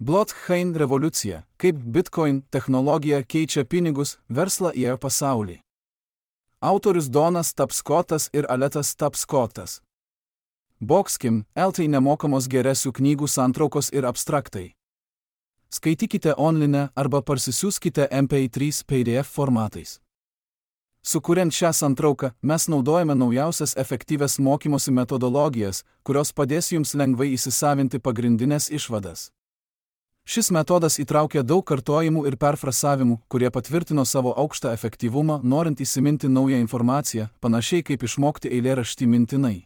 Blockchain revoliucija – kaip Bitcoin technologija keičia pinigus, verslą ir pasaulį. Autorius Donas Tapscottas ir Aletas Tapscottas. Boxkim, LT nemokamos geresių knygų santraukos ir abstraktai. Skaitykite online arba parsisiųskite MP3 PDF formatais. Sukuriant šią santrauką, mes naudojame naujausias efektyvias mokymosi metodologijas, kurios padės jums lengvai įsisavinti pagrindinės išvadas. Šis metodas įtraukia daug kartojimų ir perfrasavimų, kurie patvirtino savo aukštą efektyvumą, norint įsiminti naują informaciją, panašiai kaip išmokti eilėraštį mintinai.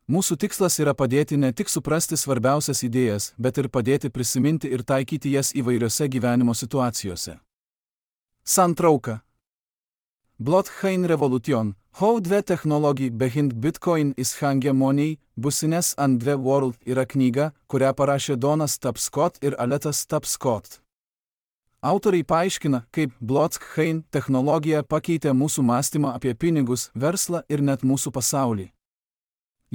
Mūsų tikslas yra padėti ne tik suprasti svarbiausias idėjas, bet ir padėti prisiminti ir taikyti jas įvairiose gyvenimo situacijose. Santrauka. Blockchain revolution, how dve technology behind Bitcoin is hegemony, business and the world yra knyga, kurią parašė Donas Tapscott ir Aletas Tapscott. Autoriai paaiškina, kaip blockchain technologija pakeitė mūsų mąstymą apie pinigus, verslą ir net mūsų pasaulį.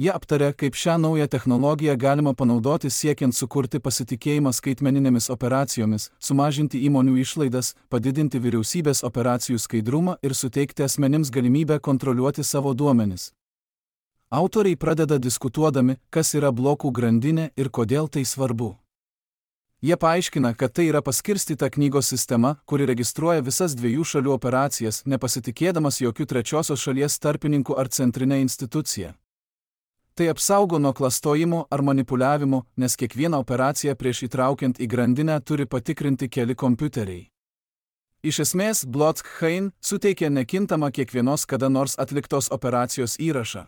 Jie aptarė, kaip šią naują technologiją galima panaudoti siekiant sukurti pasitikėjimą skaitmeninėmis operacijomis, sumažinti įmonių išlaidas, padidinti vyriausybės operacijų skaidrumą ir suteikti asmenims galimybę kontroliuoti savo duomenis. Autoriai pradeda diskutuodami, kas yra blokų grandinė ir kodėl tai svarbu. Jie paaiškina, kad tai yra paskirstyta knygos sistema, kuri registruoja visas dviejų šalių operacijas, nepasitikėdamas jokių trečiosios šalies tarpininkų ar centrinė institucija. Tai apsaugo nuo klastojimo ar manipuliavimo, nes kiekvieną operaciją prieš įtraukiant į grandinę turi patikrinti keli kompiuteriai. Iš esmės, blockchain suteikia nekintamą kiekvienos kada nors atliktos operacijos įrašą.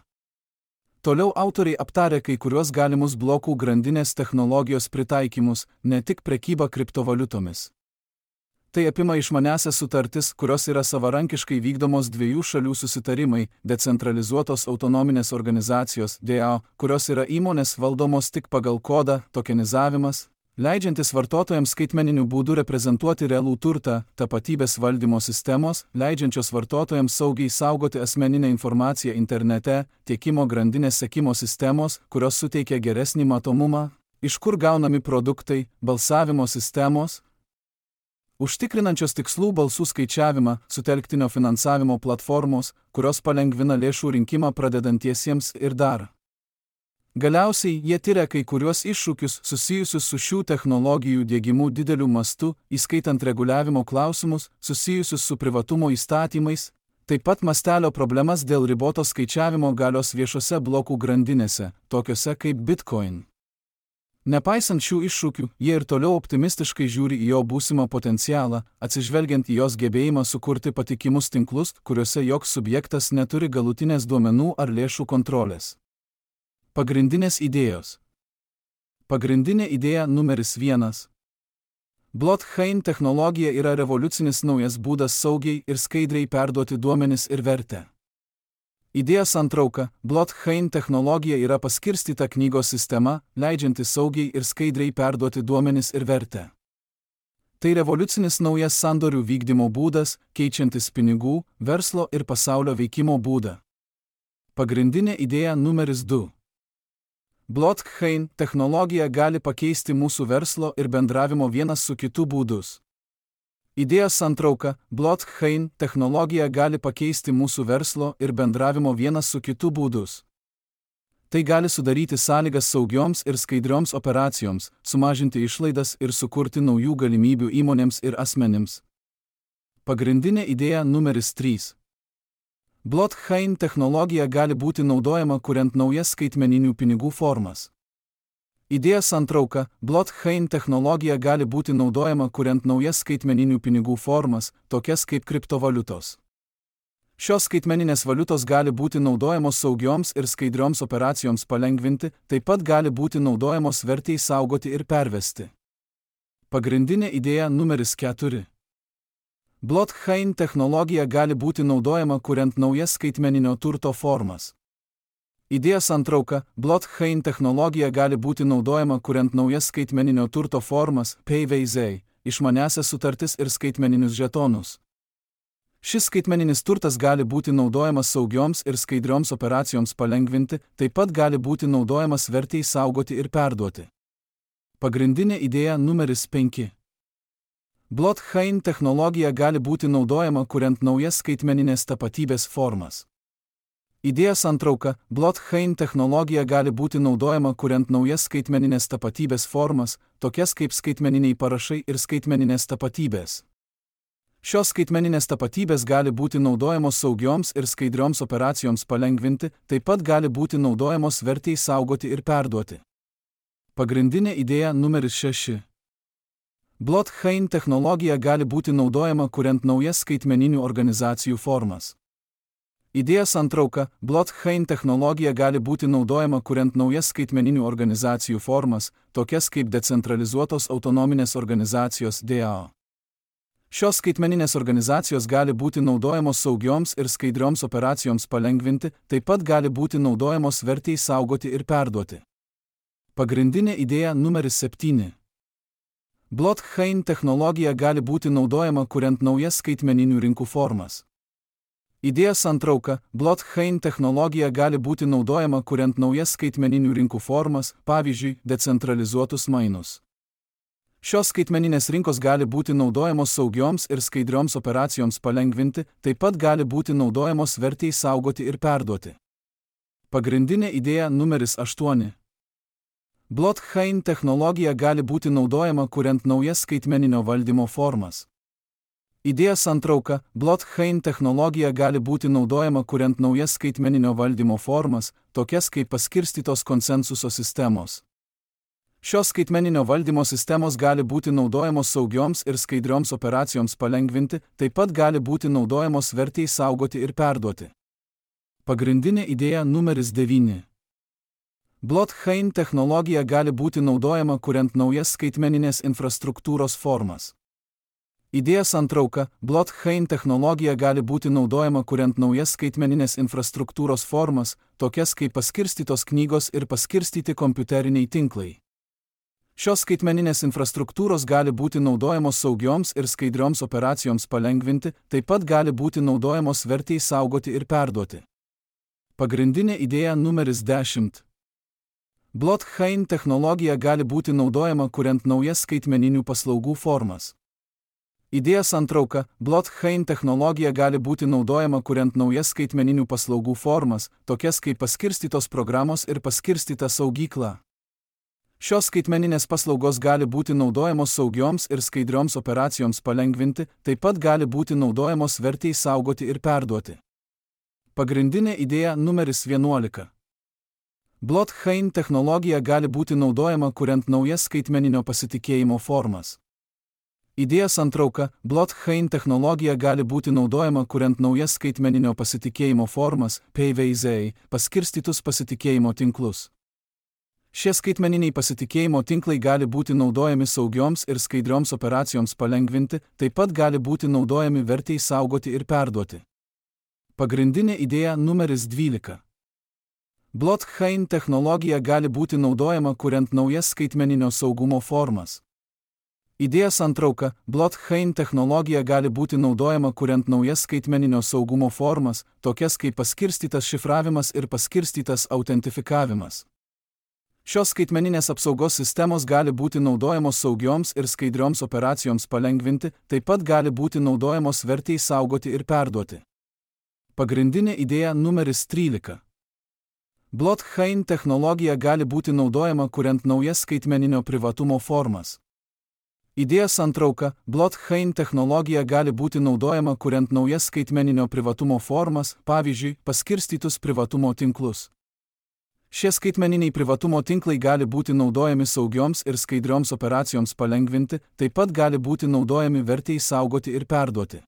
Toliau autoriai aptarė kai kuriuos galimus blokų grandinės technologijos pritaikymus, ne tik prekybą kriptovaliutomis. Tai apima išmaniąsias sutartis, kurios yra savarankiškai vykdomos dviejų šalių susitarimai, decentralizuotos autonominės organizacijos DAO, kurios yra įmonės valdomos tik pagal kodą, tokenizavimas, leidžiantis vartotojams skaitmeniniu būdu reprezentuoti realų turtą, tapatybės valdymo sistemos, leidžiančios vartotojams saugiai saugoti asmeninę informaciją internete, tiekimo grandinės sekimo sistemos, kurios suteikia geresnį matomumą, iš kur gaunami produktai, balsavimo sistemos, užtikrinančios tikslų balsų skaičiavimą, sutelktinio finansavimo platformos, kurios palengvina lėšų rinkimą pradedantiesiems ir dar. Galiausiai jie tiria kai kuriuos iššūkius susijusius su šių technologijų diegimu dideliu mastu, įskaitant reguliavimo klausimus, susijusius su privatumo įstatymais, taip pat mastelio problemas dėl ribotos skaičiavimo galios viešose blokų grandinėse, tokiose kaip Bitcoin. Nepaisant šių iššūkių, jie ir toliau optimistiškai žiūri į jo būsimą potencialą, atsižvelgiant į jos gebėjimą sukurti patikimus tinklus, kuriuose joks subjektas neturi galutinės duomenų ar lėšų kontrolės. Pagrindinės idėjos. Pagrindinė idėja numeris 1. Blockchain technologija yra revoliucinis naujas būdas saugiai ir skaidriai perduoti duomenis ir vertę. Idėja santrauka. Blockchain technologija yra paskirstyta knygos sistema, leidžianti saugiai ir skaidriai perduoti duomenis ir vertę. Tai revoliucinis naujas sandorių vykdymo būdas, keičiantis pinigų, verslo ir pasaulio veikimo būdą. Pagrindinė idėja numeris 2. Blockchain technologija gali pakeisti mūsų verslo ir bendravimo vienas su kitu būdus. Idėja santrauka. Blockchain technologija gali pakeisti mūsų verslo ir bendravimo vienas su kitu būdus. Tai gali sudaryti sąlygas saugioms ir skaidrioms operacijoms, sumažinti išlaidas ir sukurti naujų galimybių įmonėms ir asmenims. Pagrindinė idėja numeris 3. Blockchain technologija gali būti naudojama kuriant naujas skaitmeninių pinigų formas. Idėja santrauka. Blockchain technologija gali būti naudojama kuriant naujas skaitmeninių pinigų formas, tokias kaip kriptovaliutos. Šios skaitmeninės valiutos gali būti naudojamos saugioms ir skaidrioms operacijoms palengvinti, taip pat gali būti naudojamos vertei saugoti ir pervesti. Pagrindinė idėja numeris 4. Blockchain technologija gali būti naudojama kuriant naujas skaitmeninio turto formas. Idėja santrauka. Blockchain technologija gali būti naudojama kuriant naujas skaitmeninio turto formas, PVZ, išmaniąsias sutartis ir skaitmeninius žetonus. Šis skaitmeninis turtas gali būti naudojamas saugioms ir skaidrioms operacijoms palengvinti, taip pat gali būti naudojamas vertei saugoti ir perduoti. Pagrindinė idėja numeris 5. Blockchain technologija gali būti naudojama kuriant naujas skaitmeninės tapatybės formas. Idėjos santrauka. Blockchain technologija gali būti naudojama kuriant naujas skaitmeninės tapatybės formas, tokias kaip skaitmeniniai parašai ir skaitmeninės tapatybės. Šios skaitmeninės tapatybės gali būti naudojamos saugioms ir skaidrioms operacijoms palengvinti, taip pat gali būti naudojamos vertei saugoti ir perduoti. Pagrindinė idėja numeris 6. Blockchain technologija gali būti naudojama kuriant naujas skaitmeninių organizacijų formas. Idėjos santrauka. Blockchain technologija gali būti naudojama kuriant naujas skaitmeninių organizacijų formas, tokias kaip decentralizuotos autonominės organizacijos DAO. Šios skaitmeninės organizacijos gali būti naudojamos saugioms ir skaidrioms operacijoms palengvinti, taip pat gali būti naudojamos vertei saugoti ir perduoti. Pagrindinė idėja numeris 7. Blockchain technologija gali būti naudojama kuriant naujas skaitmeninių rinkų formas. Idėjos santrauka. Blockchain technologija gali būti naudojama kuriant naujas skaitmeninių rinkų formas, pavyzdžiui, decentralizuotus mainus. Šios skaitmeninės rinkos gali būti naudojamos saugioms ir skaidrioms operacijoms palengvinti, taip pat gali būti naudojamos vertei saugoti ir perduoti. Pagrindinė idėja numeris 8. Blockchain technologija gali būti naudojama kuriant naujas skaitmeninio valdymo formas. Idėjos santrauka. Blockchain technologija gali būti naudojama kuriant naujas skaitmeninio valdymo formas, tokias kaip paskirstytos konsensuso sistemos. Šios skaitmeninio valdymo sistemos gali būti naudojamos saugioms ir skaidrioms operacijoms palengvinti, taip pat gali būti naudojamos vertei saugoti ir perduoti. Pagrindinė idėja numeris 9. Blockchain technologija gali būti naudojama kuriant naujas skaitmeninės infrastruktūros formas. Idėjos santrauka. Blockchain technologija gali būti naudojama kuriant naujas skaitmeninės infrastruktūros formas, tokias kaip paskirstytos knygos ir paskirstyti kompiuteriniai tinklai. Šios skaitmeninės infrastruktūros gali būti naudojamos saugioms ir skaidrioms operacijoms palengvinti, taip pat gali būti naudojamos vertei saugoti ir perduoti. Pagrindinė idėja numeris 10. Blockchain technologija gali būti naudojama kuriant naujas skaitmeninių paslaugų formas. Idėjos santrauka. Blockchain technologija gali būti naudojama kuriant naujas skaitmeninių paslaugų formas, tokias kaip paskirstytos programos ir paskirstyta saugykla. Šios skaitmeninės paslaugos gali būti naudojamos saugioms ir skaidrioms operacijoms palengvinti, taip pat gali būti naudojamos vertei saugoti ir perduoti. Pagrindinė idėja numeris 11. Blockchain technologija gali būti naudojama kuriant naujas skaitmeninio pasitikėjimo formas. Idėjos santrauka. Blockchain technologija gali būti naudojama kuriant naujas skaitmeninio pasitikėjimo formas, PVZ, paskirstytus pasitikėjimo tinklus. Šie skaitmeniniai pasitikėjimo tinklai gali būti naudojami saugioms ir skaidrioms operacijoms palengvinti, taip pat gali būti naudojami vertei saugoti ir perduoti. Pagrindinė idėja numeris 12. Blockchain technologija gali būti naudojama kuriant naujas skaitmeninio saugumo formas. Idėjos santrauka. Blockchain technologija gali būti naudojama kuriant naujas skaitmeninio saugumo formas, tokias kaip paskirstytas šifravimas ir paskirstytas autentifikavimas. Šios skaitmeninės apsaugos sistemos gali būti naudojamos saugioms ir skaidrioms operacijoms palengvinti, taip pat gali būti naudojamos vertei saugoti ir perduoti. Pagrindinė idėja numeris 13. Blockchain technologija gali būti naudojama kuriant naujas skaitmeninio privatumo formas. Idėjos santrauka. Blockchain technologija gali būti naudojama kuriant naujas skaitmeninio privatumo formas, pavyzdžiui, paskirstytus privatumo tinklus. Šie skaitmeniniai privatumo tinklai gali būti naudojami saugioms ir skaidrioms operacijoms palengvinti, taip pat gali būti naudojami vertei saugoti ir perduoti.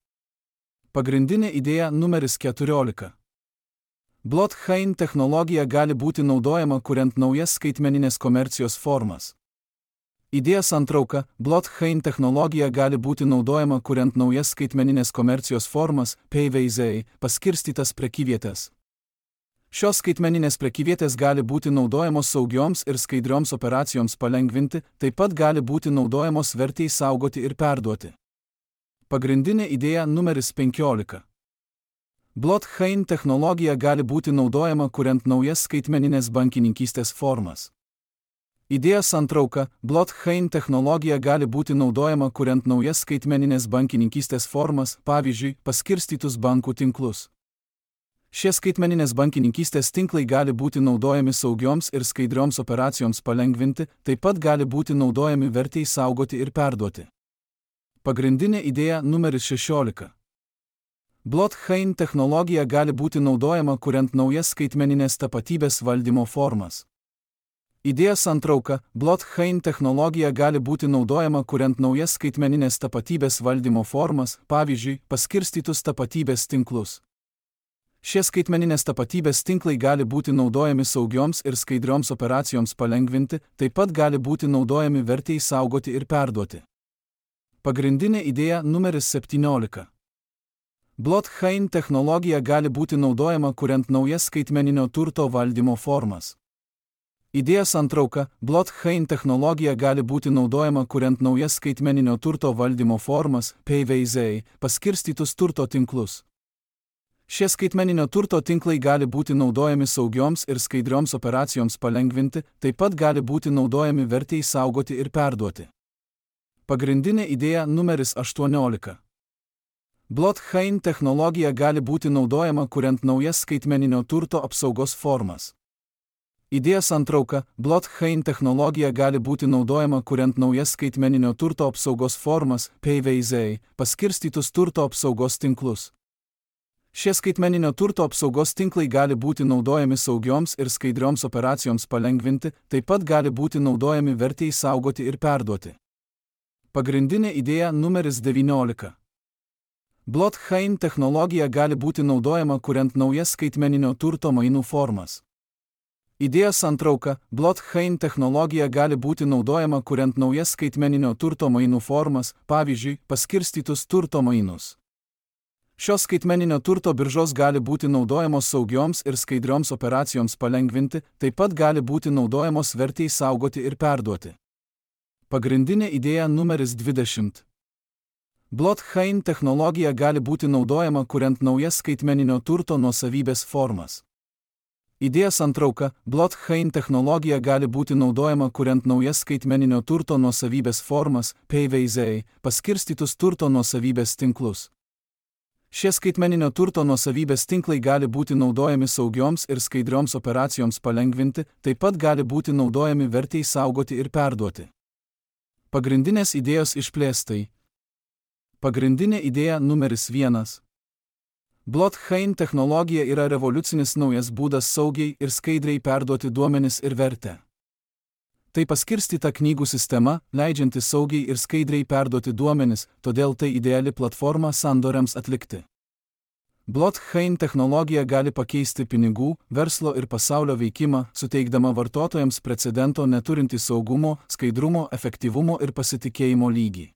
Pagrindinė idėja numeris 14. Blockchain technologija gali būti naudojama kuriant naujas skaitmeninės komercijos formas. Idėjos santrauka. Blockchain technologija gali būti naudojama kuriant naujas skaitmeninės komercijos formas, PVZ, paskirstytas prekyvietės. Šios skaitmeninės prekyvietės gali būti naudojamos saugioms ir skaidrioms operacijoms palengvinti, taip pat gali būti naudojamos vertei saugoti ir perduoti. Pagrindinė idėja numeris 15. Blockchain technologija gali būti naudojama kuriant naujas skaitmeninės bankininkystės formas. Idėjos santrauka – blockchain technologija gali būti naudojama kuriant naujas skaitmeninės bankininkystės formas, pavyzdžiui, paskirstytus bankų tinklus. Šie skaitmeninės bankininkystės tinklai gali būti naudojami saugioms ir skaidrioms operacijoms palengvinti, taip pat gali būti naudojami vertei saugoti ir perduoti. Pagrindinė idėja numeris 16. Blockchain technologija gali būti naudojama kuriant naujas skaitmeninės tapatybės valdymo formas. Idėjos santrauka – blockchain technologija gali būti naudojama kuriant naujas skaitmeninės tapatybės valdymo formas, pavyzdžiui, paskirstytus tapatybės tinklus. Šie skaitmeninės tapatybės tinklai gali būti naudojami saugioms ir skaidrioms operacijoms palengvinti, taip pat gali būti naudojami vertei saugoti ir perduoti. Pagrindinė idėja numeris 17. Blockchain technologija gali būti naudojama kuriant naujas skaitmeninio turto valdymo formas. Idėjos santrauka – blockchain technologija gali būti naudojama kuriant naujas skaitmeninio turto valdymo formas, PVZ, paskirstytus turto tinklus. Šie skaitmeninio turto tinklai gali būti naudojami saugioms ir skaidrioms operacijoms palengvinti, taip pat gali būti naudojami vertei saugoti ir perduoti. Pagrindinė idėja numeris 18. Blockchain technologija gali būti naudojama kuriant naujas skaitmeninio turto apsaugos formas. Idėjos santrauka – blockchain technologija gali būti naudojama kuriant naujas skaitmeninio turto apsaugos formas, PVZ, paskirstytus turto apsaugos tinklus. Šie skaitmeninio turto apsaugos tinklai gali būti naudojami saugioms ir skaidrioms operacijoms palengvinti, taip pat gali būti naudojami vertei saugoti ir perduoti. Pagrindinė idėja numeris 19. Blockchain technologija gali būti naudojama kuriant naujas skaitmeninio turto mainų formas. Idėjos santrauka – blockchain technologija gali būti naudojama kuriant naujas skaitmeninio turto mainų formas, pavyzdžiui, paskirstytus turto mainus. Šios skaitmeninio turto biržos gali būti naudojamos saugioms ir skaidrioms operacijoms palengvinti, taip pat gali būti naudojamos vertei saugoti ir perduoti. Pagrindinė idėja numeris 20. Blockchain technologija gali būti naudojama kuriant naujas skaitmeninio turto nuosavybės formas. Idėjos santrauka – blockchain technologija gali būti naudojama kuriant naujas skaitmeninio turto nuosavybės formas, PVZ, paskirstytus turto nuosavybės tinklus. Šie skaitmeninio turto nuosavybės tinklai gali būti naudojami saugioms ir skaidrioms operacijoms palengvinti, taip pat gali būti naudojami vertei saugoti ir perduoti. Pagrindinės idėjos išplėstai. Pagrindinė idėja numeris 1. Blockchain technologija yra revoliucinis naujas būdas saugiai ir skaidriai perduoti duomenis ir vertę. Tai paskirstyta knygų sistema, leidžianti saugiai ir skaidriai perduoti duomenis, todėl tai ideali platforma sandoriams atlikti. Blockchain technologija gali pakeisti pinigų, verslo ir pasaulio veikimą, suteikdama vartotojams precedento neturintį saugumo, skaidrumo, efektyvumo ir pasitikėjimo lygį.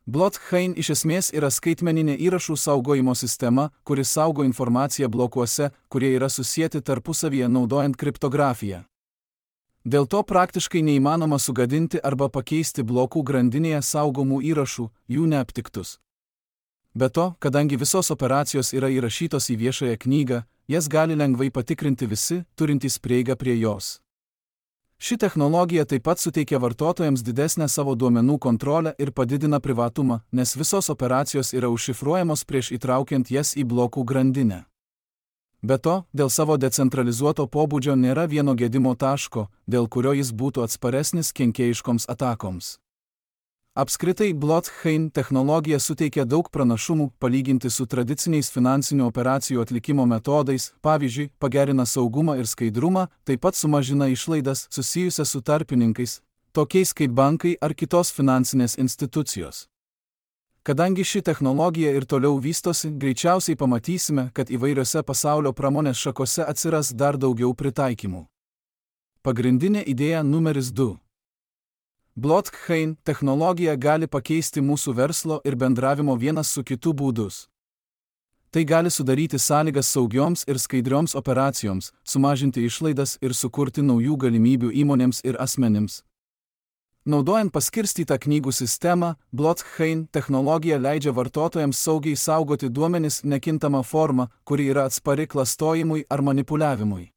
Blockchain iš esmės yra skaitmeninė įrašų saugojimo sistema, kuri saugo informaciją blokuose, kurie yra susieti tarpusavyje naudojant kriptografiją. Dėl to praktiškai neįmanoma sugadinti arba pakeisti blokų grandinėje saugomų įrašų, jų neaptiktus. Be to, kadangi visos operacijos yra įrašytos į viešąją knygą, jas gali lengvai patikrinti visi, turintys prieigą prie jos. Ši technologija taip pat suteikia vartotojams didesnę savo duomenų kontrolę ir padidina privatumą, nes visos operacijos yra užšifruojamos prieš įtraukiant jas į blokų grandinę. Be to, dėl savo decentralizuoto pobūdžio nėra vieno gedimo taško, dėl kurio jis būtų atsparesnis kenkėjiškoms atakoms. Apskritai, blockchain technologija suteikia daug pranašumų palyginti su tradiciniais finansinių operacijų atlikimo metodais, pavyzdžiui, pagerina saugumą ir skaidrumą, taip pat sumažina išlaidas susijusias su tarpininkais, tokiais kaip bankai ar kitos finansinės institucijos. Kadangi ši technologija ir toliau vystosi, greičiausiai pamatysime, kad įvairiose pasaulio pramonės šakose atsiras dar daugiau pritaikymų. Pagrindinė idėja numeris 2. Blockchain technologija gali pakeisti mūsų verslo ir bendravimo vienas su kitu būdus. Tai gali sudaryti sąlygas saugioms ir skaidrioms operacijoms, sumažinti išlaidas ir sukurti naujų galimybių įmonėms ir asmenims. Naudojant paskirstytą knygų sistemą, blockchain technologija leidžia vartotojams saugiai saugoti duomenis nekintama forma, kuri yra atspari klastojimui ar manipuliavimui.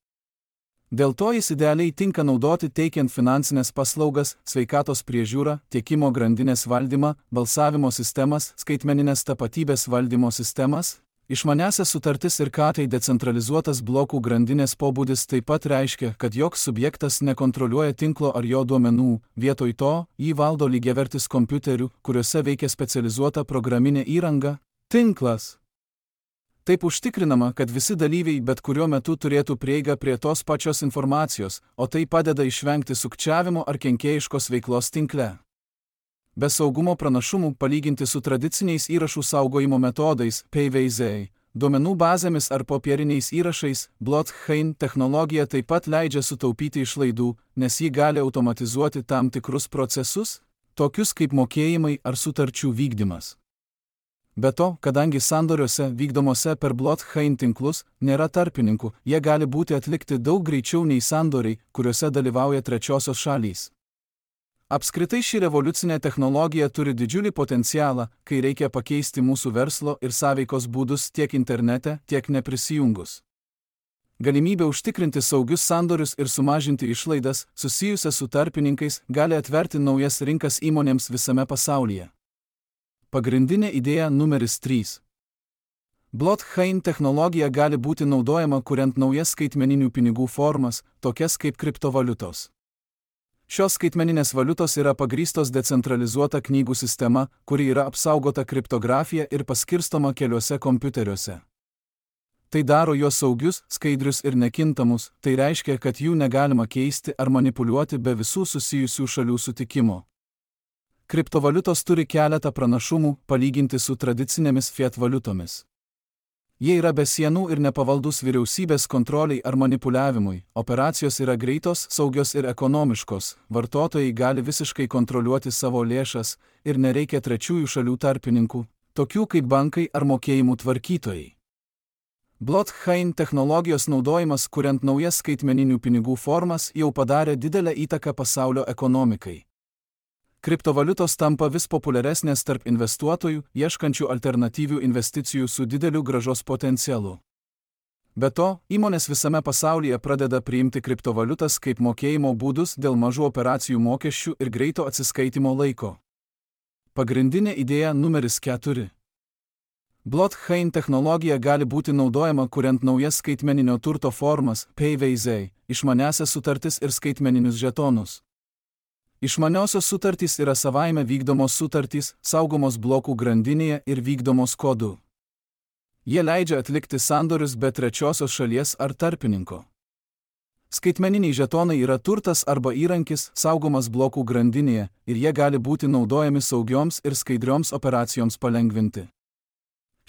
Dėl to jis idealiai tinka naudoti teikiant finansinės paslaugas, sveikatos priežiūrą, tiekimo grandinės valdymą, balsavimo sistemas, skaitmeninės tapatybės valdymo sistemas. Išmaniąsias sutartis ir tai decentralizuotas blokų grandinės pobūdis taip pat reiškia, kad joks subjektas nekontroliuoja tinklo ar jo duomenų, vietoj to jį valdo lygiavertis kompiuterių, kuriuose veikia specializuota programinė įranga – tinklas. Taip užtikrinama, kad visi dalyviai bet kuriuo metu turėtų prieigą prie tos pačios informacijos, o tai padeda išvengti sukčiavimo ar kenkėjiškos veiklos tinkle. Be saugumo pranašumų palyginti su tradiciniais įrašų saugojimo metodais PVZ, duomenų bazėmis ar popieriniais įrašais, blockchain technologija taip pat leidžia sutaupyti išlaidų, nes ji gali automatizuoti tam tikrus procesus, tokius kaip mokėjimai ar sutarčių vykdymas. Be to, kadangi sandoriuose vykdomose per blockchain tinklus nėra tarpininkų, jie gali būti atlikti daug greičiau nei sandoriai, kuriuose dalyvauja trečiosios šalys. Apskritai ši revoliucinė technologija turi didžiulį potencialą, kai reikia pakeisti mūsų verslo ir sąveikos būdus tiek internete, tiek neprisijungus. Galimybė užtikrinti saugius sandorius ir sumažinti išlaidas, susijusias su tarpininkais, gali atverti naujas rinkas įmonėms visame pasaulyje. Pagrindinė idėja numeris 3. Blockchain technologija gali būti naudojama kuriant naujas skaitmeninių pinigų formas, tokias kaip kriptovaliutos. Šios skaitmeninės valiutos yra pagrįstos decentralizuota knygų sistema, kuri yra apsaugota kriptografija ir paskirstoma keliuose kompiuteriuose. Tai daro juos saugius, skaidrius ir nekintamus, tai reiškia, kad jų negalima keisti ar manipuliuoti be visų susijusių šalių sutikimo. Kriptovaliutos turi keletą pranašumų palyginti su tradicinėmis fiat valiutomis. Jie yra be sienų ir nepavaldus vyriausybės kontroliai ar manipuliavimui, operacijos yra greitos, saugios ir ekonomiškos, vartotojai gali visiškai kontroliuoti savo lėšas ir nereikia trečiųjų šalių tarpininkų, tokių kaip bankai ar mokėjimų tvarkytojai. Blockchain technologijos naudojimas kuriant naujas skaitmeninių pinigų formas jau padarė didelę įtaką pasaulio ekonomikai. Kriptovaliutos tampa vis populiaresnės tarp investuotojų, ieškančių alternatyvių investicijų su dideliu grąžos potencialu. Be to, įmonės visame pasaulyje pradeda priimti kriptovaliutas kaip mokėjimo būdus dėl mažų operacijų mokesčių ir greito atsiskaitimo laiko. Pagrindinė idėja numeris 4. Blockchain technologija gali būti naudojama kuriant naujas skaitmeninio turto formas, PVZ, išmaniąsias sutartis ir skaitmeninius žetonus. Išmaniosios sutartys yra savaime vykdomos sutartys, saugomos blokų grandinėje ir vykdomos kodu. Jie leidžia atlikti sandorius be trečiosios šalies ar tarpininko. Skaitmeniniai žetonai yra turtas arba įrankis, saugomas blokų grandinėje, ir jie gali būti naudojami saugioms ir skaidrioms operacijoms palengvinti.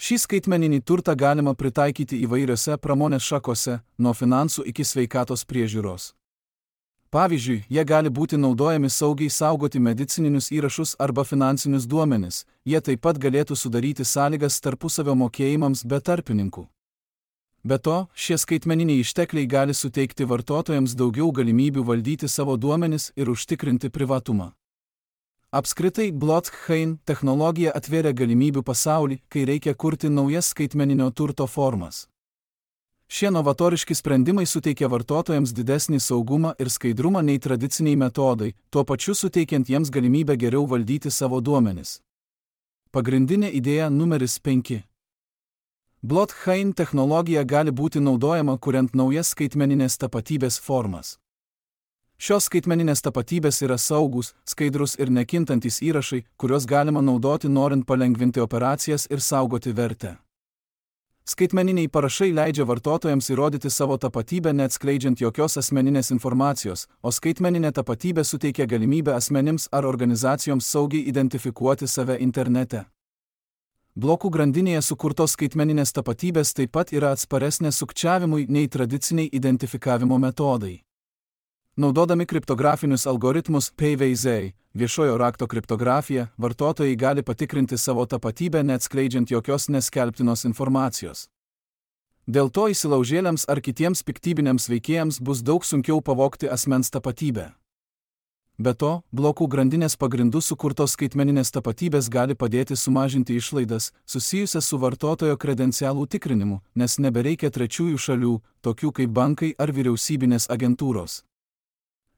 Šį skaitmeninį turtą galima pritaikyti įvairiose pramonės šakose, nuo finansų iki sveikatos priežiūros. Pavyzdžiui, jie gali būti naudojami saugiai saugoti medicininius įrašus arba finansinius duomenis, jie taip pat galėtų sudaryti sąlygas tarpusavio mokėjimams be tarpininkų. Be to, šie skaitmeniniai ištekliai gali suteikti vartotojams daugiau galimybių valdyti savo duomenis ir užtikrinti privatumą. Apskritai, blockchain technologija atvėrė galimybių pasaulį, kai reikia kurti naujas skaitmeninio turto formas. Šie novatoriški sprendimai suteikia vartotojams didesnį saugumą ir skaidrumą nei tradiciniai metodai, tuo pačiu suteikiant jiems galimybę geriau valdyti savo duomenis. Pagrindinė idėja numeris 5. Blockchain technologija gali būti naudojama kuriant naujas skaitmeninės tapatybės formas. Šios skaitmeninės tapatybės yra saugus, skaidrus ir nekintantys įrašai, kuriuos galima naudoti norint palengvinti operacijas ir saugoti vertę. Skaitmeniniai parašai leidžia vartotojams įrodyti savo tapatybę neatskleidžiant jokios asmeninės informacijos, o skaitmeninė tapatybė suteikia galimybę asmenims ar organizacijoms saugiai identifikuoti save internete. Blokų grandinėje sukurtos skaitmeninės tapatybės taip pat yra atsparesnės sukčiavimui nei tradiciniai identifikavimo metodai. Naudodami kriptografinius algoritmus PVZ, viešojo rakto kriptografiją, vartotojai gali patikrinti savo tapatybę neatskleidžiant jokios neskelbtinos informacijos. Dėl to įsilaužėliams ar kitiems piktybiniams veikėjams bus daug sunkiau pavogti asmens tapatybę. Be to, blokų grandinės pagrindų sukurtos skaitmeninės tapatybės gali padėti sumažinti išlaidas, susijusias su vartotojo kredencialų tikrinimu, nes nebereikia trečiųjų šalių, tokių kaip bankai ar vyriausybinės agentūros.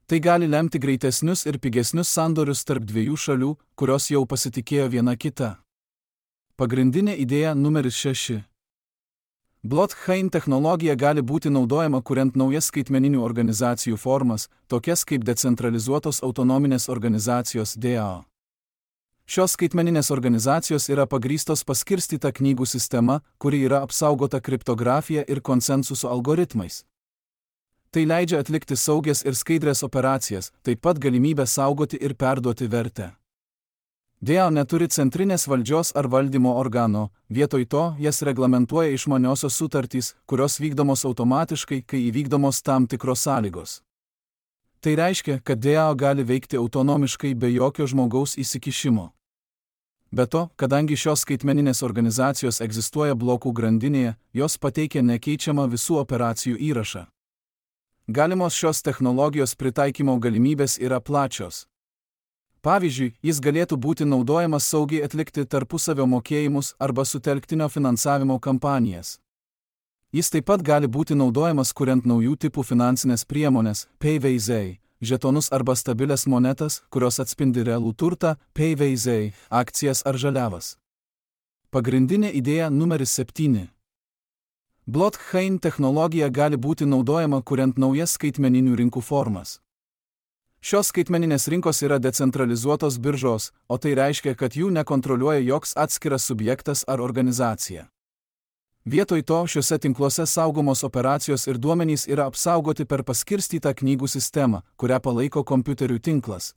Tai gali lemti greitesnius ir pigesnius sandorius tarp dviejų šalių, kurios jau pasitikėjo viena kita. Pagrindinė idėja numeris 6. Blockchain technologija gali būti naudojama kuriant naujas skaitmeninių organizacijų formas, tokias kaip decentralizuotos autonominės organizacijos DAO. Šios skaitmeninės organizacijos yra pagrįstos paskirstyta knygų sistema, kuri yra apsaugota kriptografija ir konsensuso algoritmais. Tai leidžia atlikti saugias ir skaidrias operacijas, taip pat galimybę saugoti ir perduoti vertę. DAO neturi centrinės valdžios ar valdymo organo, vietoj to jas reglamentuoja išmaniosios sutartys, kurios vykdomos automatiškai, kai įvykdomos tam tikros sąlygos. Tai reiškia, kad DAO gali veikti autonomiškai be jokio žmogaus įsikišimo. Be to, kadangi šios skaitmeninės organizacijos egzistuoja blokų grandinėje, jos pateikia nekeičiamą visų operacijų įrašą. Galimos šios technologijos pritaikymo galimybės yra plačios. Pavyzdžiui, jis galėtų būti naudojamas saugiai atlikti tarpusavio mokėjimus arba sutelktinio finansavimo kampanijas. Jis taip pat gali būti naudojamas kuriant naujų tipų finansinės priemonės, PayVaizai, žetonus arba stabilias monetas, kurios atspindi realų turtą, PayVaizai, akcijas ar žaliavas. Pagrindinė idėja numeris 7. Blockchain technologija gali būti naudojama kuriant naujas skaitmeninių rinkų formas. Šios skaitmeninės rinkos yra decentralizuotos biržos, o tai reiškia, kad jų nekontroliuoja joks atskiras subjektas ar organizacija. Vietoj to šiuose tinkluose saugomos operacijos ir duomenys yra apsaugoti per paskirstytą knygų sistemą, kurią palaiko kompiuterių tinklas.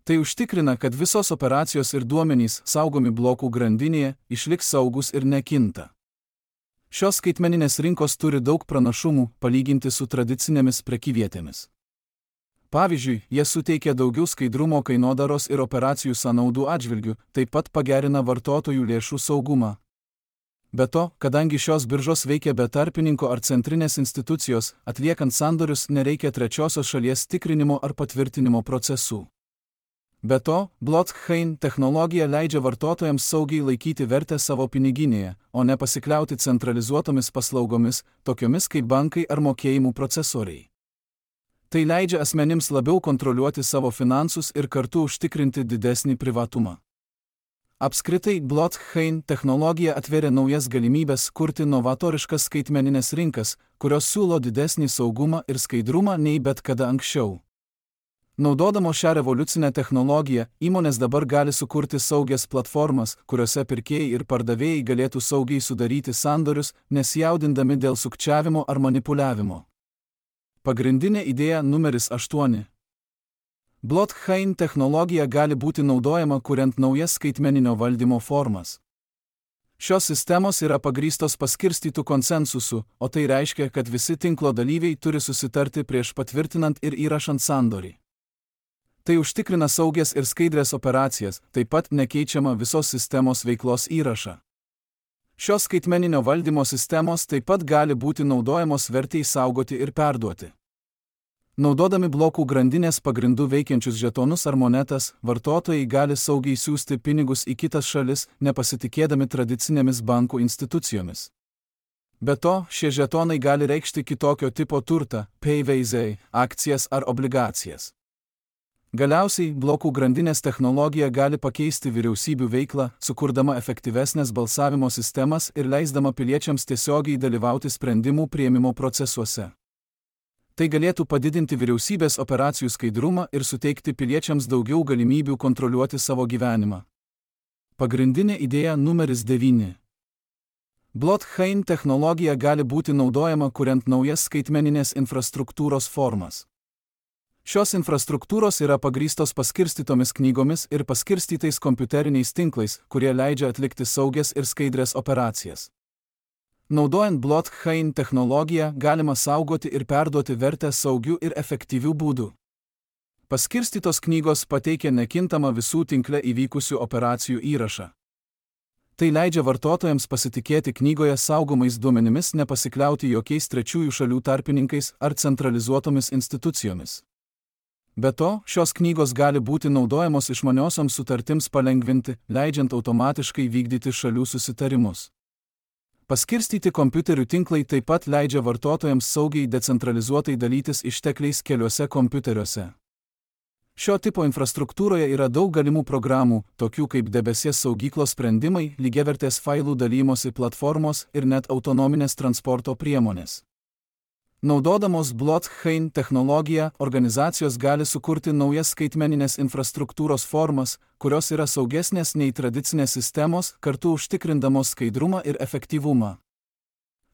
Tai užtikrina, kad visos operacijos ir duomenys saugomi blokų grandinėje išliks saugus ir nekinta. Šios skaitmeninės rinkos turi daug pranašumų palyginti su tradicinėmis prekyvietėmis. Pavyzdžiui, jie suteikia daugiau skaidrumo kainodaros ir operacijų sąnaudų atžvilgių, taip pat pagerina vartotojų lėšų saugumą. Be to, kadangi šios biržos veikia be tarpininko ar centrinės institucijos, atliekant sandorius nereikia trečiosios šalies tikrinimo ar patvirtinimo procesų. Be to, blockchain technologija leidžia vartotojams saugiai laikyti vertę savo piniginėje, o ne pasikliauti centralizuotomis paslaugomis, tokiomis kaip bankai ar mokėjimų procesoriai. Tai leidžia asmenims labiau kontroliuoti savo finansus ir kartu užtikrinti didesnį privatumą. Apskritai, blockchain technologija atveria naujas galimybės kurti novatoriškas skaitmeninės rinkas, kurios siūlo didesnį saugumą ir skaidrumą nei bet kada anksčiau. Naudodamos šią revoliucinę technologiją, įmonės dabar gali sukurti saugias platformas, kuriuose pirkėjai ir pardavėjai galėtų saugiai sudaryti sandorius, nesijaudindami dėl sukčiavimo ar manipuliavimo. Pagrindinė idėja numeris 8. Blockchain technologija gali būti naudojama kuriant naujas skaitmeninio valdymo formas. Šios sistemos yra pagrįstos paskirstytų konsensusu, o tai reiškia, kad visi tinklo dalyviai turi susitarti prieš patvirtinant ir įrašant sandorį. Tai užtikrina saugias ir skaidrias operacijas, taip pat nekeičiama visos sistemos veiklos įrašą. Šios skaitmeninio valdymo sistemos taip pat gali būti naudojamos vertei saugoti ir perduoti. Naudodami blokų grandinės pagrindų veikiančius žetonus ar monetas, vartotojai gali saugiai siųsti pinigus į kitas šalis, nepasitikėdami tradicinėmis bankų institucijomis. Be to, šie žetonai gali reikšti kitokio tipo turtą, PayVaizai, akcijas ar obligacijas. Galiausiai, blokų grandinės technologija gali pakeisti vyriausybių veiklą, sukurdama efektyvesnės balsavimo sistemas ir leisdama piliečiams tiesiogiai dalyvauti sprendimų priėmimo procesuose. Tai galėtų padidinti vyriausybės operacijų skaidrumą ir suteikti piliečiams daugiau galimybių kontroliuoti savo gyvenimą. Pagrindinė idėja numeris 9. Blockchain technologija gali būti naudojama kuriant naujas skaitmeninės infrastruktūros formas. Šios infrastruktūros yra pagrįstos paskirstytomis knygomis ir paskirstytais kompiuteriniais tinklais, kurie leidžia atlikti saugias ir skaidrias operacijas. Naudojant blockchain technologiją galima saugoti ir perduoti vertę saugių ir efektyvių būdų. Paskirstytos knygos pateikia nekintamą visų tinkle įvykusių operacijų įrašą. Tai leidžia vartotojams pasitikėti knygoje saugomais duomenimis, nepasikliauti jokiais trečiųjų šalių tarpininkais ar centralizuotomis institucijomis. Be to, šios knygos gali būti naudojamos išmaniosioms sutartims palengvinti, leidžiant automatiškai vykdyti šalių susitarimus. Paskirstyti kompiuterių tinklai taip pat leidžia vartotojams saugiai decentralizuotai dalytis ištekliais keliuose kompiuteriuose. Šio tipo infrastruktūroje yra daug galimų programų, tokių kaip debesies saugyklos sprendimai, lygiavertės failų dalymosi platformos ir net autonominės transporto priemonės. Naudodamos blockchain technologiją, organizacijos gali sukurti naujas skaitmeninės infrastruktūros formas, kurios yra saugesnės nei tradicinės sistemos, kartu užtikrindamos skaidrumą ir efektyvumą.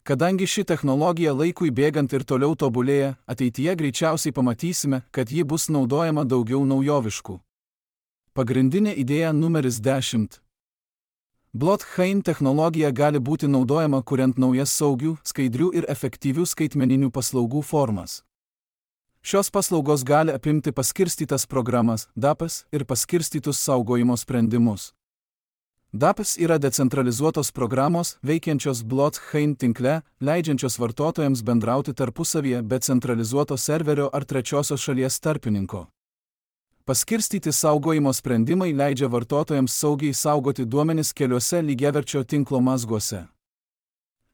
Kadangi ši technologija laikui bėgant ir toliau tobulėja, ateityje greičiausiai pamatysime, kad ji bus naudojama daugiau naujoviškų. Pagrindinė idėja numeris 10. Blockchain technologija gali būti naudojama kuriant naujas saugių, skaidrių ir efektyvių skaitmeninių paslaugų formas. Šios paslaugos gali apimti paskirstytas programas, DApps ir paskirstytus saugojimo sprendimus. DApps yra decentralizuotos programos, veikiančios blockchain tinkle, leidžiančios vartotojams bendrauti tarpusavyje be centralizuoto serverio ar trečiosios šalies tarpininko. Paskirstyti saugojimo sprendimai leidžia vartotojams saugiai saugoti duomenis keliuose lygiaverčio tinklo mazguose.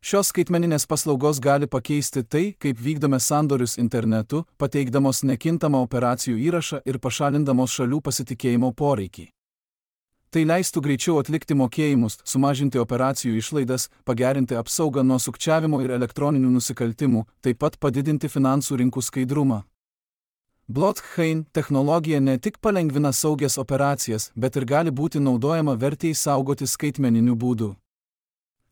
Šios skaitmeninės paslaugos gali pakeisti tai, kaip vykdome sandorius internetu, pateikdamos nekintamą operacijų įrašą ir pašalindamos šalių pasitikėjimo poreikį. Tai leistų greičiau atlikti mokėjimus, sumažinti operacijų išlaidas, pagerinti apsaugą nuo sukčiavimo ir elektroninių nusikaltimų, taip pat padidinti finansų rinkų skaidrumą. Blockchain technologija ne tik palengvina saugias operacijas, bet ir gali būti naudojama vertei saugoti skaitmeniniu būdu.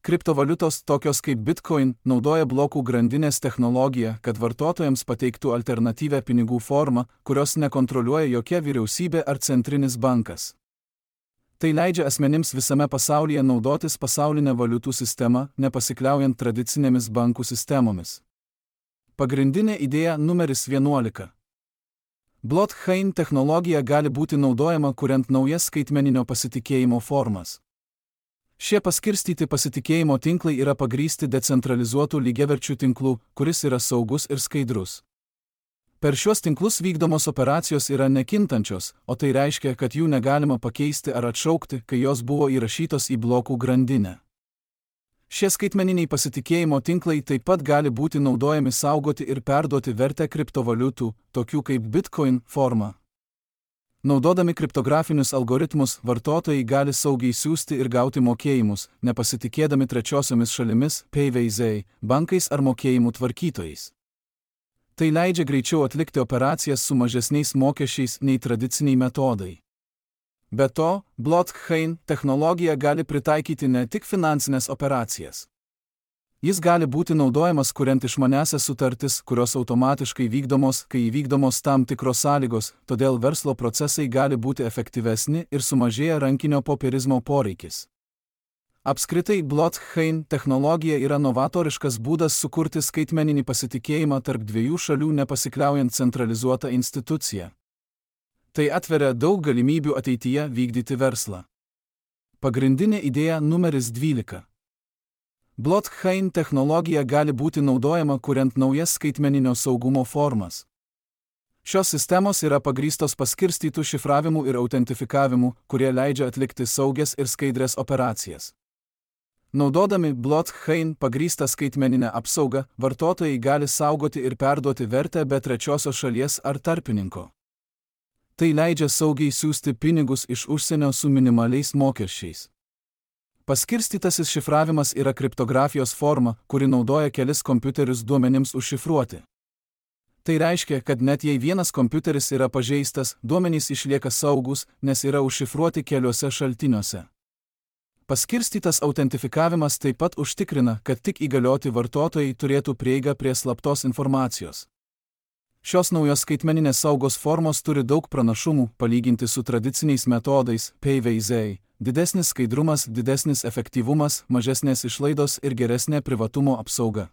Kriptovaliutos, tokios kaip Bitcoin, naudoja blokų grandinės technologiją, kad vartotojams pateiktų alternatyvią pinigų formą, kurios nekontroliuoja jokia vyriausybė ar centrinis bankas. Tai leidžia asmenims visame pasaulyje naudotis pasaulinę valiutų sistemą, nepasikliaujant tradicinėmis bankų sistemomis. Pagrindinė idėja numeris 11. Blockchain technologija gali būti naudojama kuriant naujas skaitmeninio pasitikėjimo formas. Šie paskirstyti pasitikėjimo tinklai yra pagrįsti decentralizuotų lygiaverčių tinklų, kuris yra saugus ir skaidrus. Per šiuos tinklus vykdomos operacijos yra nekintančios, o tai reiškia, kad jų negalima pakeisti ar atšaukti, kai jos buvo įrašytos į blokų grandinę. Šie skaitmeniniai pasitikėjimo tinklai taip pat gali būti naudojami saugoti ir perduoti vertę kriptovaliutų, tokių kaip Bitcoin, formą. Naudodami kriptografinius algoritmus, vartotojai gali saugiai siųsti ir gauti mokėjimus, nepasitikėdami trečiosiomis šalimis, PayVZ, bankais ar mokėjimų tvarkytojais. Tai leidžia greičiau atlikti operacijas su mažesniais mokesčiais nei tradiciniai metodai. Be to, blockchain technologija gali pritaikyti ne tik finansinės operacijas. Jis gali būti naudojamas kuriant išmaniąsias sutartis, kurios automatiškai vykdomos, kai įvykdomos tam tikros sąlygos, todėl verslo procesai gali būti efektyvesni ir sumažėja rankinio popierizmo poreikis. Apskritai, blockchain technologija yra novatoriškas būdas sukurti skaitmeninį pasitikėjimą tarp dviejų šalių nepasikliaujant centralizuotą instituciją. Tai atveria daug galimybių ateityje vykdyti verslą. Pagrindinė idėja numeris 12. Blockchain technologija gali būti naudojama kuriant naujas skaitmeninio saugumo formas. Šios sistemos yra pagrįstos paskirstytų šifravimų ir autentifikavimu, kurie leidžia atlikti saugias ir skaidrias operacijas. Naudodami blockchain pagrįstą skaitmeninę apsaugą, vartotojai gali saugoti ir perduoti vertę be trečiosios šalies ar tarpininko. Tai leidžia saugiai siųsti pinigus iš užsienio su minimaliais mokesčiais. Paskirstytasis šifravimas yra kriptografijos forma, kuri naudoja kelis kompiuterius duomenims užšifruoti. Tai reiškia, kad net jei vienas kompiuteris yra pažeistas, duomenys išlieka saugus, nes yra užšifruoti keliuose šaltiniuose. Paskirstytas autentifikavimas taip pat užtikrina, kad tik įgalioti vartotojai turėtų prieigą prie slaptos informacijos. Šios naujos skaitmeninės saugos formos turi daug pranašumų, palyginti su tradiciniais metodais, PayVZ, didesnis skaidrumas, didesnis efektyvumas, mažesnės išlaidos ir geresnė privatumo apsauga.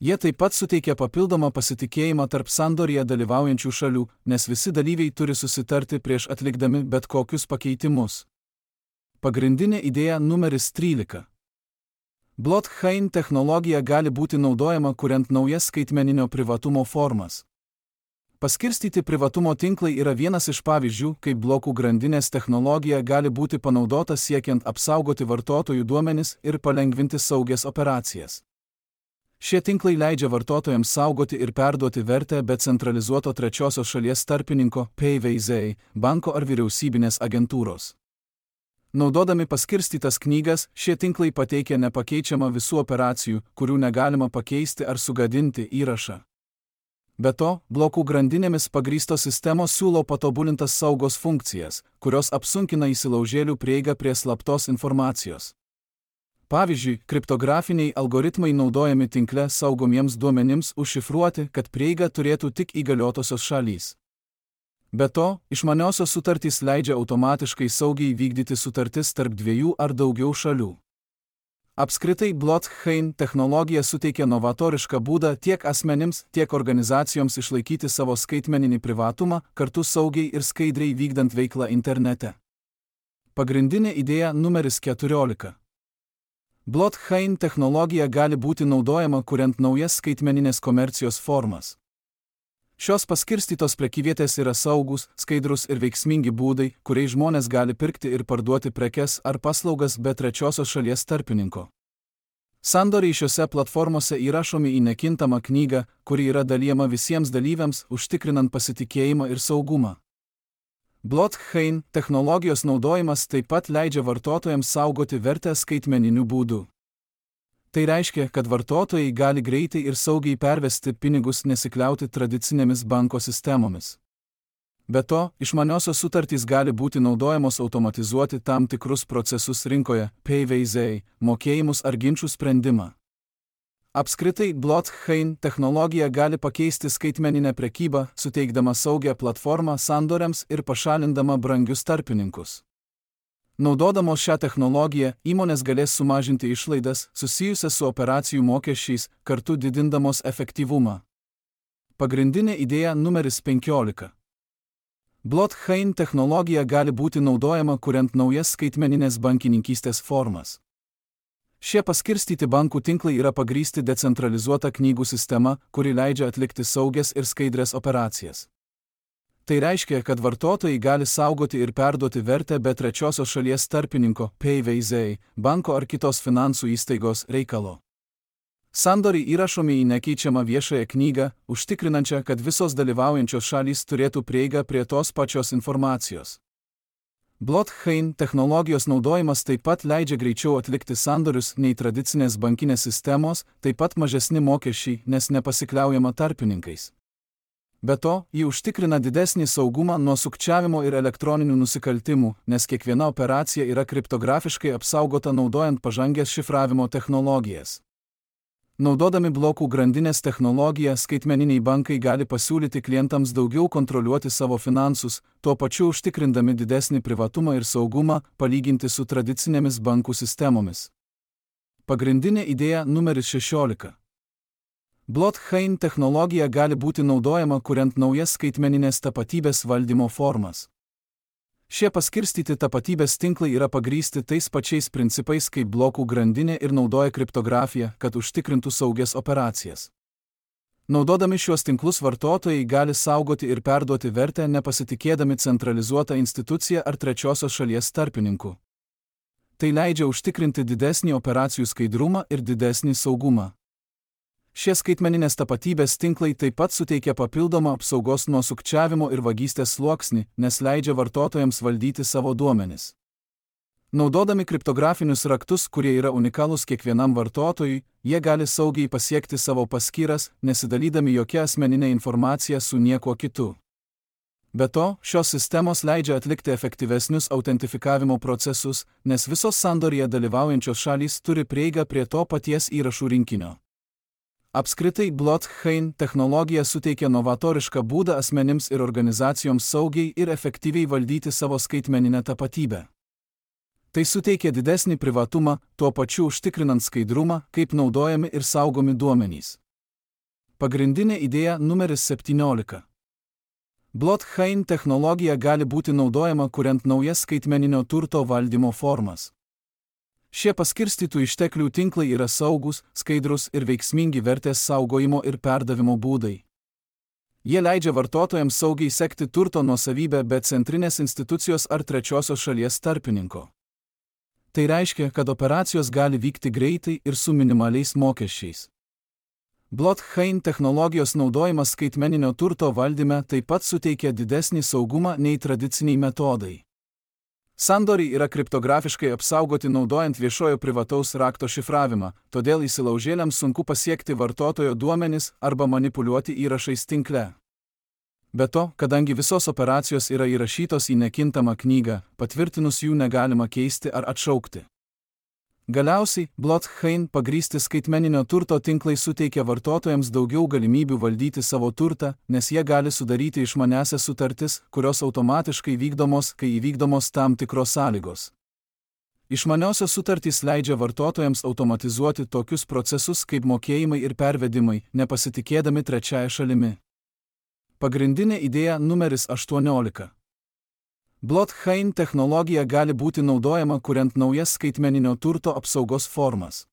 Jie taip pat suteikia papildomą pasitikėjimą tarp sandorėje dalyvaujančių šalių, nes visi dalyviai turi susitarti prieš atlikdami bet kokius pakeitimus. Pagrindinė idėja numeris 13. Blockchain technologija gali būti naudojama kuriant naujas skaitmeninio privatumo formas. Paskirstyti privatumo tinklai yra vienas iš pavyzdžių, kaip blokų grandinės technologija gali būti panaudota siekiant apsaugoti vartotojų duomenis ir palengvinti saugias operacijas. Šie tinklai leidžia vartotojams saugoti ir perduoti vertę be centralizuoto trečiosios šalies tarpininko, PVZ, banko ar vyriausybinės agentūros. Naudodami paskirstytas knygas, šie tinklai pateikia nepakeičiamą visų operacijų, kurių negalima pakeisti ar sugadinti įrašą. Be to, blokų grandinėmis pagrįstos sistemos siūlo patobulintas saugos funkcijas, kurios apsunkina įsilaužėlių prieigą prie slaptos informacijos. Pavyzdžiui, kriptografiniai algoritmai naudojami tinkle saugomiems duomenims užšifruoti, kad prieigą turėtų tik įgaliotosios šalys. Be to, išmaniosios sutartys leidžia automatiškai saugiai vykdyti sutartis tarp dviejų ar daugiau šalių. Apskritai, blockchain technologija suteikia novatorišką būdą tiek asmenims, tiek organizacijoms išlaikyti savo skaitmeninį privatumą, kartu saugiai ir skaidriai vykdant veiklą internete. Pagrindinė idėja numeris 14. Blockchain technologija gali būti naudojama kuriant naujas skaitmeninės komercijos formas. Šios paskirstytos prekyvietės yra saugus, skaidrus ir veiksmingi būdai, kuriais žmonės gali pirkti ir parduoti prekes ar paslaugas be trečiosios šalies tarpininko. Sandoriai šiose platformose įrašomi į nekintamą knygą, kuri yra dalijama visiems dalyviams, užtikrinant pasitikėjimą ir saugumą. Blockchain technologijos naudojimas taip pat leidžia vartotojams saugoti vertę skaitmeniniu būdu. Tai reiškia, kad vartotojai gali greitai ir saugiai pervesti pinigus nesikliauti tradicinėmis banko sistemomis. Be to, išmaniosios sutartys gali būti naudojamos automatizuoti tam tikrus procesus rinkoje, PVZ, mokėjimus ar ginčių sprendimą. Apskritai, blockchain technologija gali pakeisti skaitmeninę prekybą, suteikdama saugią platformą sandoriams ir pašalindama brangius tarpininkus. Naudodamos šią technologiją, įmonės galės sumažinti išlaidas susijusias su operacijų mokesčiais, kartu didindamos efektyvumą. Pagrindinė idėja numeris 15. Blockchain technologija gali būti naudojama kuriant naujas skaitmeninės bankininkystės formas. Šie paskirstyti bankų tinklai yra pagrįsti decentralizuota knygų sistema, kuri leidžia atlikti saugias ir skaidrias operacijas. Tai reiškia, kad vartotojai gali saugoti ir perduoti vertę be trečiosios šalies tarpininko, PVZ, banko ar kitos finansų įstaigos reikalo. Sandoriai įrašomi į nekeičiamą viešąją knygą, užtikrinančią, kad visos dalyvaujančios šalys turėtų prieigą prie tos pačios informacijos. Blockchain technologijos naudojimas taip pat leidžia greičiau atlikti sandorius nei tradicinės bankinės sistemos, taip pat mažesni mokesčiai, nes nepasikliaujama tarpininkais. Be to, ji užtikrina didesnį saugumą nuo sukčiavimo ir elektroninių nusikaltimų, nes kiekviena operacija yra kriptografiškai apsaugota naudojant pažangias šifravimo technologijas. Naudodami blokų grandinės technologiją, skaitmeniniai bankai gali pasiūlyti klientams daugiau kontroliuoti savo finansus, tuo pačiu užtikrindami didesnį privatumą ir saugumą, palyginti su tradicinėmis bankų sistemomis. Pagrindinė idėja numeris 16. Blockchain technologija gali būti naudojama kuriant naujas skaitmeninės tapatybės valdymo formas. Šie paskirstyti tapatybės tinklai yra pagrįsti tais pačiais principais kaip blokų grandinė ir naudoja kriptografiją, kad užtikrintų saugias operacijas. Naudodami šiuos tinklus vartotojai gali saugoti ir perduoti vertę nepasitikėdami centralizuotą instituciją ar trečiosios šalies tarpininku. Tai leidžia užtikrinti didesnį operacijų skaidrumą ir didesnį saugumą. Šie skaitmeninės tapatybės tinklai taip pat suteikia papildomą apsaugos nuo sukčiavimo ir vagystės sluoksnį, nes leidžia vartotojams valdyti savo duomenis. Naudodami kriptografinius raktus, kurie yra unikalūs kiekvienam vartotojui, jie gali saugiai pasiekti savo paskyras, nesidalydami jokia asmeninė informacija su niekuo kitu. Be to, šios sistemos leidžia atlikti efektyvesnius autentifikavimo procesus, nes visos sandorėje dalyvaujančios šalys turi prieigą prie to paties įrašų rinkinio. Apskritai, blockchain technologija suteikia novatorišką būdą asmenims ir organizacijoms saugiai ir efektyviai valdyti savo skaitmeninę tapatybę. Tai suteikia didesnį privatumą, tuo pačiu užtikrinant skaidrumą, kaip naudojami ir saugomi duomenys. Pagrindinė idėja numeris 17. Blockchain technologija gali būti naudojama kuriant naujas skaitmeninio turto valdymo formas. Šie paskirstytų išteklių tinklai yra saugus, skaidrus ir veiksmingi vertės saugojimo ir perdavimo būdai. Jie leidžia vartotojams saugiai sekti turto nuosavybę be centrinės institucijos ar trečiosios šalies tarpininko. Tai reiškia, kad operacijos gali vykti greitai ir su minimaliais mokesčiais. Blockchain technologijos naudojimas skaitmeninio turto valdyme taip pat suteikia didesnį saugumą nei tradiciniai metodai. Sandoriai yra kriptografiškai apsaugoti naudojant viešojo privataus rakto šifravimą, todėl įsilaužėliams sunku pasiekti vartotojo duomenis arba manipuliuoti įrašais tinkle. Be to, kadangi visos operacijos yra įrašytos į nekintamą knygą, patvirtinus jų negalima keisti ar atšaukti. Galiausiai, blockchain pagrįsti skaitmeninio turto tinklai suteikia vartotojams daugiau galimybių valdyti savo turtą, nes jie gali sudaryti išmaniąsias sutartis, kurios automatiškai vykdomos, kai įvykdomos tam tikros sąlygos. Išmaniosios sutartys leidžia vartotojams automatizuoti tokius procesus kaip mokėjimai ir pervedimai, nepasitikėdami trečiąja šalimi. Pagrindinė idėja numeris 18. Blockchain technologija gali būti naudojama kuriant naujas skaitmeninio turto apsaugos formas.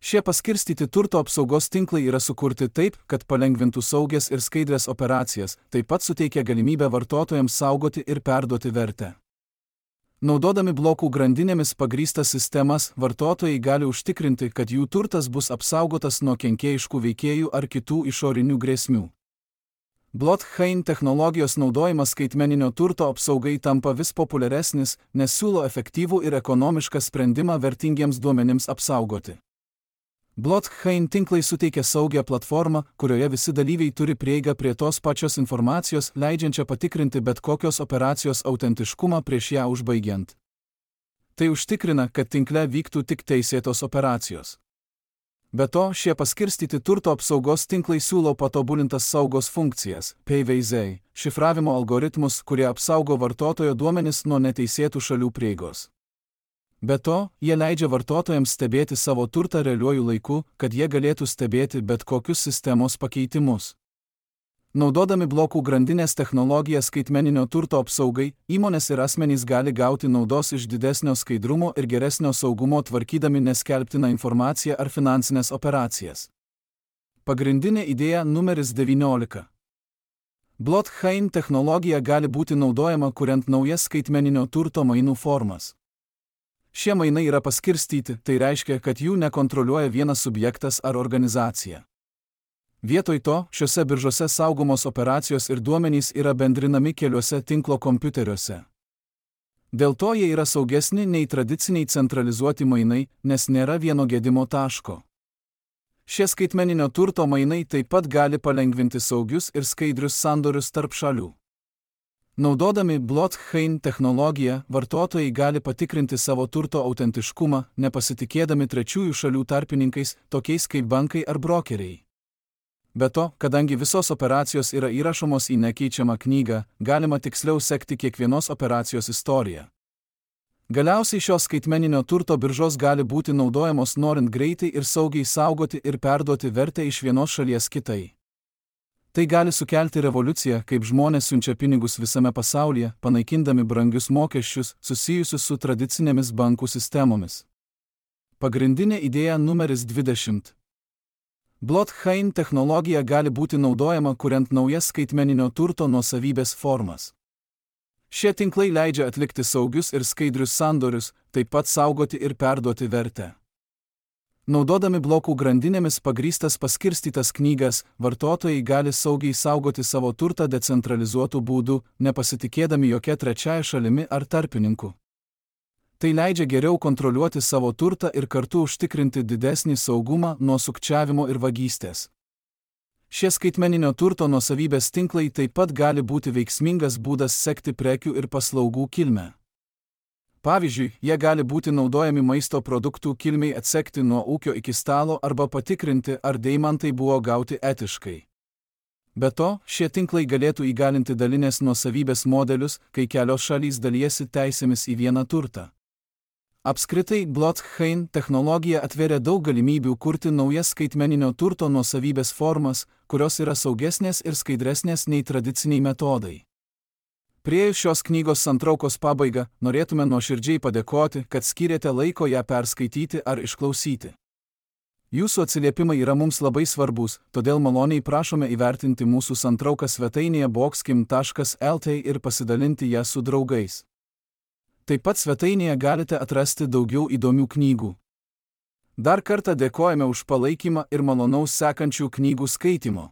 Šie paskirstyti turto apsaugos tinklai yra sukurti taip, kad palengvintų saugias ir skaidrias operacijas, taip pat suteikia galimybę vartotojams saugoti ir perduoti vertę. Naudodami blokų grandinėmis pagrįstas sistemas, vartotojai gali užtikrinti, kad jų turtas bus apsaugotas nuo kenkėjiškų veikėjų ar kitų išorinių grėsmių. Blockchain technologijos naudojimas skaitmeninio turto apsaugai tampa vis populiaresnis, nes siūlo efektyvų ir ekonomišką sprendimą vertingiems duomenims apsaugoti. Blockchain tinklai suteikia saugią platformą, kurioje visi dalyviai turi prieigą prie tos pačios informacijos, leidžiančią patikrinti bet kokios operacijos autentiškumą prieš ją užbaigiant. Tai užtikrina, kad tinkle vyktų tik teisėtos operacijos. Be to, šie paskirstyti turto apsaugos tinklai siūlo patobulintas saugos funkcijas, PVZ, šifravimo algoritmus, kurie apsaugo vartotojo duomenis nuo neteisėtų šalių prieigos. Be to, jie leidžia vartotojams stebėti savo turtą realiuoju laiku, kad jie galėtų stebėti bet kokius sistemos pakeitimus. Naudodami blokų grandinės technologiją skaitmeninio turto apsaugai, įmonės ir asmenys gali gauti naudos iš didesnio skaidrumo ir geresnio saugumo tvarkydami neskelbtiną informaciją ar finansinės operacijas. Pagrindinė idėja numeris 19. Blockchain technologija gali būti naudojama kuriant naujas skaitmeninio turto mainų formas. Šie mainai yra paskirstyti, tai reiškia, kad jų nekontroliuoja vienas subjektas ar organizacija. Vietoj to, šiuose biržose saugomos operacijos ir duomenys yra bendrinami keliuose tinklo kompiuteriuose. Dėl to jie yra saugesni nei tradiciniai centralizuoti mainai, nes nėra vieno gedimo taško. Šie skaitmeninio turto mainai taip pat gali palengvinti saugius ir skaidrius sandorius tarp šalių. Naudodami blockchain technologiją, vartotojai gali patikrinti savo turto autentiškumą, nepasitikėdami trečiųjų šalių tarpininkais, tokiais kaip bankai ar brokeriai. Be to, kadangi visos operacijos yra įrašomos į nekeičiamą knygą, galima tiksliau sekti kiekvienos operacijos istoriją. Galiausiai šios skaitmeninio turto biržos gali būti naudojamos norint greitai ir saugiai saugoti ir perduoti vertę iš vienos šalies kitai. Tai gali sukelti revoliuciją, kaip žmonės siunčia pinigus visame pasaulyje, panaikindami brangius mokesčius susijusius su tradicinėmis bankų sistemomis. Pagrindinė idėja numeris 20. Blockchain technologija gali būti naudojama kuriant naujas skaitmeninio turto nuosavybės formas. Šie tinklai leidžia atlikti saugius ir skaidrius sandorius, taip pat saugoti ir perduoti vertę. Naudodami blokų grandinėmis pagrįstas paskirstytas knygas, vartotojai gali saugiai saugoti savo turtą decentralizuotų būdų, nepasitikėdami jokia trečiaja šalimi ar tarpininku. Tai leidžia geriau kontroliuoti savo turtą ir kartu užtikrinti didesnį saugumą nuo sukčiavimo ir vagystės. Šie skaitmeninio turto nuosavybės tinklai taip pat gali būti veiksmingas būdas sekti prekių ir paslaugų kilmę. Pavyzdžiui, jie gali būti naudojami maisto produktų kilmei atsekti nuo ūkio iki stalo arba patikrinti, ar deimantai buvo gauti etiškai. Be to, šie tinklai galėtų įgalinti dalinės nuosavybės modelius, kai kelios šalys dalijasi teisėmis į vieną turtą. Apskritai, blockchain technologija atveria daug galimybių kurti naujas skaitmeninio turto nuosavybės formas, kurios yra saugesnės ir skaidresnės nei tradiciniai metodai. Priėjus šios knygos santraukos pabaigą, norėtume nuoširdžiai padėkoti, kad skyrėte laiko ją perskaityti ar išklausyti. Jūsų atsiliepimai yra mums labai svarbus, todėl maloniai prašome įvertinti mūsų santrauką svetainėje boxkim.lt ir pasidalinti ją su draugais. Taip pat svetainėje galite atrasti daugiau įdomių knygų. Dar kartą dėkojame už palaikymą ir malonaus sekančių knygų skaitymo.